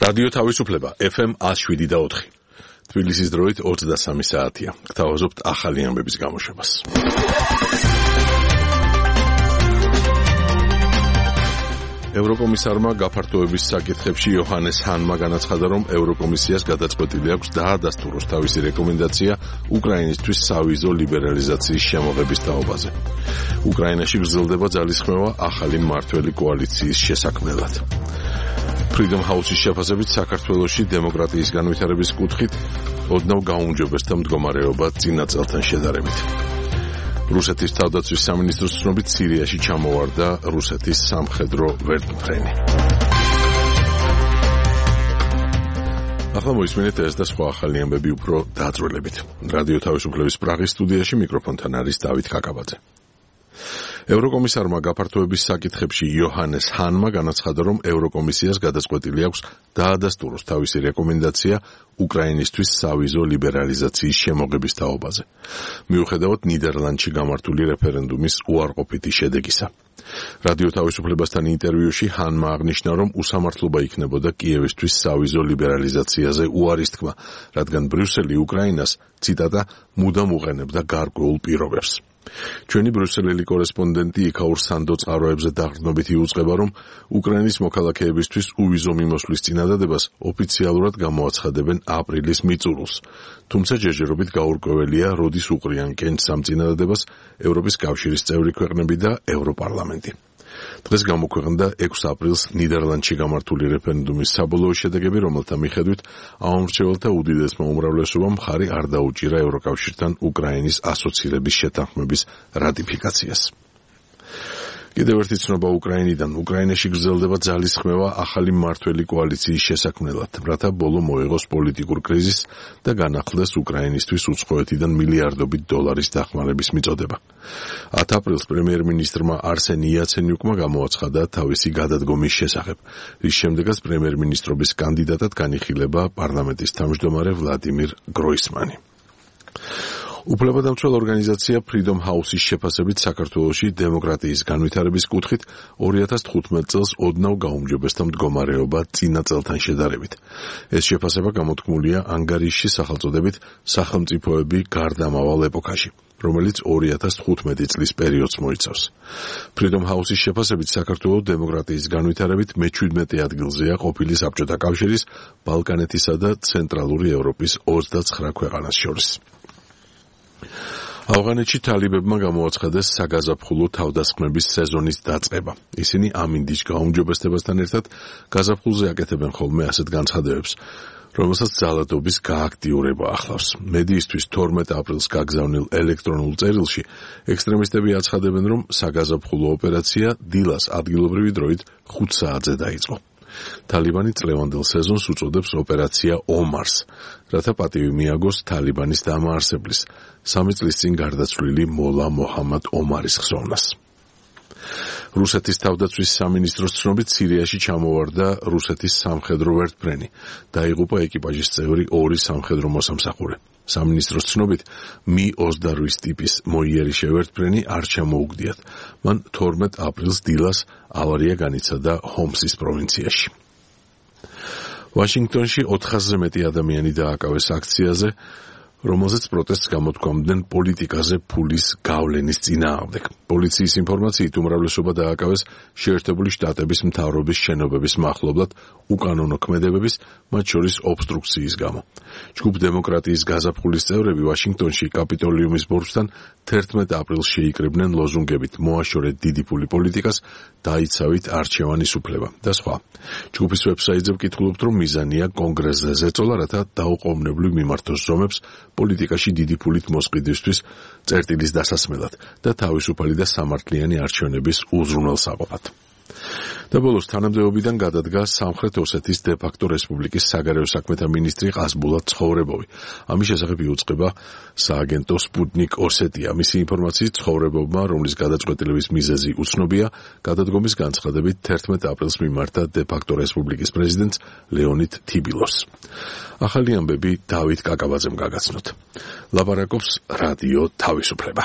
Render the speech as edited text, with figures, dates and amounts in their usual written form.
რადიო თავისუფლება FM 107.4. თბილისის დროით 23 საათია. გთავაზობთ ახალი ამბების გამოშვებას. ევროკომისარმა გაფართოების საკითხებში იოჰანეს ჰანმა განაცხადა, რომ ევროკომისიას გადაწყვეტილი აქვს დაადასტუროს თავისი რეკომენდაცია უკრაინისთვის სავიზო ლიბერალიზაციის შემოღების თაობაზე. უკრაინაში გრძელდება ძალისხმევა ახალი მმართველი კოალიციის შესაქმნელად. Freedom House-ის შეფასებით საქართველოში დემოკრატიის განვითარების კუთხით ოდნავ გაუმჯობესდა მდგომარეობა წინა წელთან შედარებით. რუსეთის თავდაცვის სამინისტროს ცნობით სირიაში ჩამოვარდა რუსეთის სამხედრო ვერტმფრენი. ახლა მოისმინეთ ეს და სხვა ახალი ამბები უფრო დაწვრილებით. რადიო თავისუფლების პრაღის სტუდიაში მიკროფონთან არის დავით კაკაბაძე. ევროკომისარმა გაფართოების საკითხებში იოჰანეს ჰანმა განაცხადა, რომ ევროკომისიას გადაწყვეტილი აქვს დაადასტუროს თავისი რეკომენდაცია უკრაინისთვის სავიზო ლიბერალიზაციის შემოღების თაობაზე, მიუხედავად ნიდერლანდში გამართული რეფერენდუმის უარყოფითი შედეგისა. რადიო თავისუფლებასთან ინტერვიუში ჰანმა აღნიშნა, რომ უსამართლობა იქნებოდა კიევისთვის სავიზო ლიბერალიზაციაზე უარის თქმა, რადგან ბრიუსელი უკრაინას, ციტატა, მუდამ უყენებდა გარკვეულ პირობებს. ჩვენი ბრიუსელელი კორესპონდენტი იქაურ სანდო წყაროებზე დაყრდნობით იუწყება, რომ უკრაინის მოქალაქეებისთვის უვიზო მიმოსვლის წინადადებას ოფიციალურად გამოაცხადებენ აპრილის მიწურულს. თუმცა ჯერჯერობით გაურკვეველია, როდის უყრიან კენჭს ამ წინადადებას ევროპის კავშირის წევრი ქვეყნები და ევროპარლამენტი. დღეს გამოქვეყნდა 6 აპრილს ნიდერლანდში გამართული რეფერენდუმის საბოლოო შედეგები, რომელთა მიხედვით ამომრჩეველთა უდიდესმა უმრავლესობამ მხარი არ დაუჭირა ევროკავშირთან უკრაინის ასოცირების შეთანხმების რატიფიკაციას. კიდევ ერთი ცნობა უკრაინიდან. უკრაინაში გრძელდება ძალისხმევა ახალი მმართველი კოალიციის შესაქმნელად, რათა ბოლო მოეღოს პოლიტიკურ კრიზისს და განახლდეს უკრაინისთვის უცხოეთიდან მილიარდობით დოლარის დახმარების მიწოდება. 10 აპრილს პრემიერ-მინისტრმა არსენი იაცენიუკმა გამოაცხადა თავისი გადადგომის შესახებ, რის შემდეგაც პრემიერ-მინისტრობის კანდიდატად განიხილება პარლამენტის თავმჯდომარე ვლადიმირ გროისმანი. უფლებადამცველ ორგანიზაცია Freedom House-ის შეფასებით საქართველოში დემოკრატიის განვითარების კუთხით 2015 წელს ოდნავ გაუმჯობესდა მდგომარეობა წინა წელთან შედარებით. ეს შეფასება გამოთქმულია ანგარიშში სახელწოდებით სახელმწიფოები გარდამავალ ეპოქაში, რომელიც 2015 წლის პერიოდს მოიცავს. Freedom House-ის შეფასებით საქართველოს დემოკრატიის განვითარებით მე-17 ადგილზეა ყოფილი საბჭოთა კავშირის, ბალკანეთისა და ცენტრალური ევროპის 29 ქვეყანას შორის. ავღანეთში თალიბებმა გამოაცხადეს საგაზაფხულო თავდასხმების სეზონის დაწყება. ისინი ამინდის გაუმჯობესებასთან ერთად გაზაფხულზე აკეთებენ ხოლმე ასეთ განცხადებებს, რომელსაც ძალადობის გააქტიურება ახლავს. მედიისთვის 12 აპრილს გაგზავნილ ელექტრონულ წერილში ექსტრემისტები აცხადებენ, რომ საგაზაფხულო ოპერაცია დილას ადგილობრივი დროით 5 საათზე დაიწყო. თალიბანი წლევანდელ სეზონს უწოდებს ოპერაცია ომარს, რათა პატივი მიაგოს თალიბანის დამაარსებლის 3 წლის წინ გარდაცვლილი მოლა მოჰამად ომარის ხსოვნას. რუსეთის თავდაცვის სამინისტროს ცნობით სირიაში ჩამოვარდა რუსეთის სამხედრო ვერტმფრენი. დაიღუპა ეკიპაჟის წევრი 2 სამხედრო მოსამსახურე. სამინისტროს ცნობით Mi-28 ტიპის მოიერიშე ვერტმფრენი არ ჩამოუგდიათ. მან 12 აპრილს დილას ავარია განიცადა ჰომსის პროვინციაში. ვაშინგტონში 400-ზე მეტი ადამიანი დააკავეს აქციაზე, რომელზეც პროტესტს გამოთქვამდნენ პოლიტიკაზე ფულის გავლენის წინააღმდეგ. პოლიციის ინფორმაციით უმრავლესობა დააკავეს შეერთებული შტატების მთავრობის შენობების მახლობლად უკანონო ქმედებების, მათ შორის ობსტრუქციის გამო. ჯგუფ დემოკრატიის გაზაფხულის წევრები ვაშინგტონში კაპიტოლიუმის ბორცვთან 11 აპრილს შეიკრიბნენ ლოზუნგებით „მოაშორეთ დიდი ფული პოლიტიკას, დაიცავით არჩევანის უფლება“ და სხვა. ჯგუფის ვებსაიტზე ვკითხულობთ, რომ მიზანია კონგრესზე ზეწოლა, რათა დაუყოვნებლივ მიმართოს ზომებს პოლიტიკაში დიდი ფულით მოსყიდვისთვის წერტილის დასასმელად და თავისუფალი და სამართლიანი არჩევნების უზრუნველსაყოფად. და ბოლოს თანამდებობიდან გადადგა სამხრეთ ოსეთის დე-ფაქტო რესპუბლიკის საგარეო საქმეთა მინისტრი ყაზბულათ ცხოვრებოვი. ამის შესახებ იუწყება სააგენტო სპუტნიკ ოსეტია. მისი ინფორმაციით ცხოვრებოვმა, რომლის გადაწყვეტილების მიზეზი უცნობია, გადადგომის განცხადებით 11 აპრილს მიმართა დე-ფაქტო რესპუბლიკის პრეზიდენტს ლეონიდ თიბილოს. ახალი ამბები დავით კაკაბაძემ გაგაცნოთ. ლაპარაკობს რადიო თავისუფლება.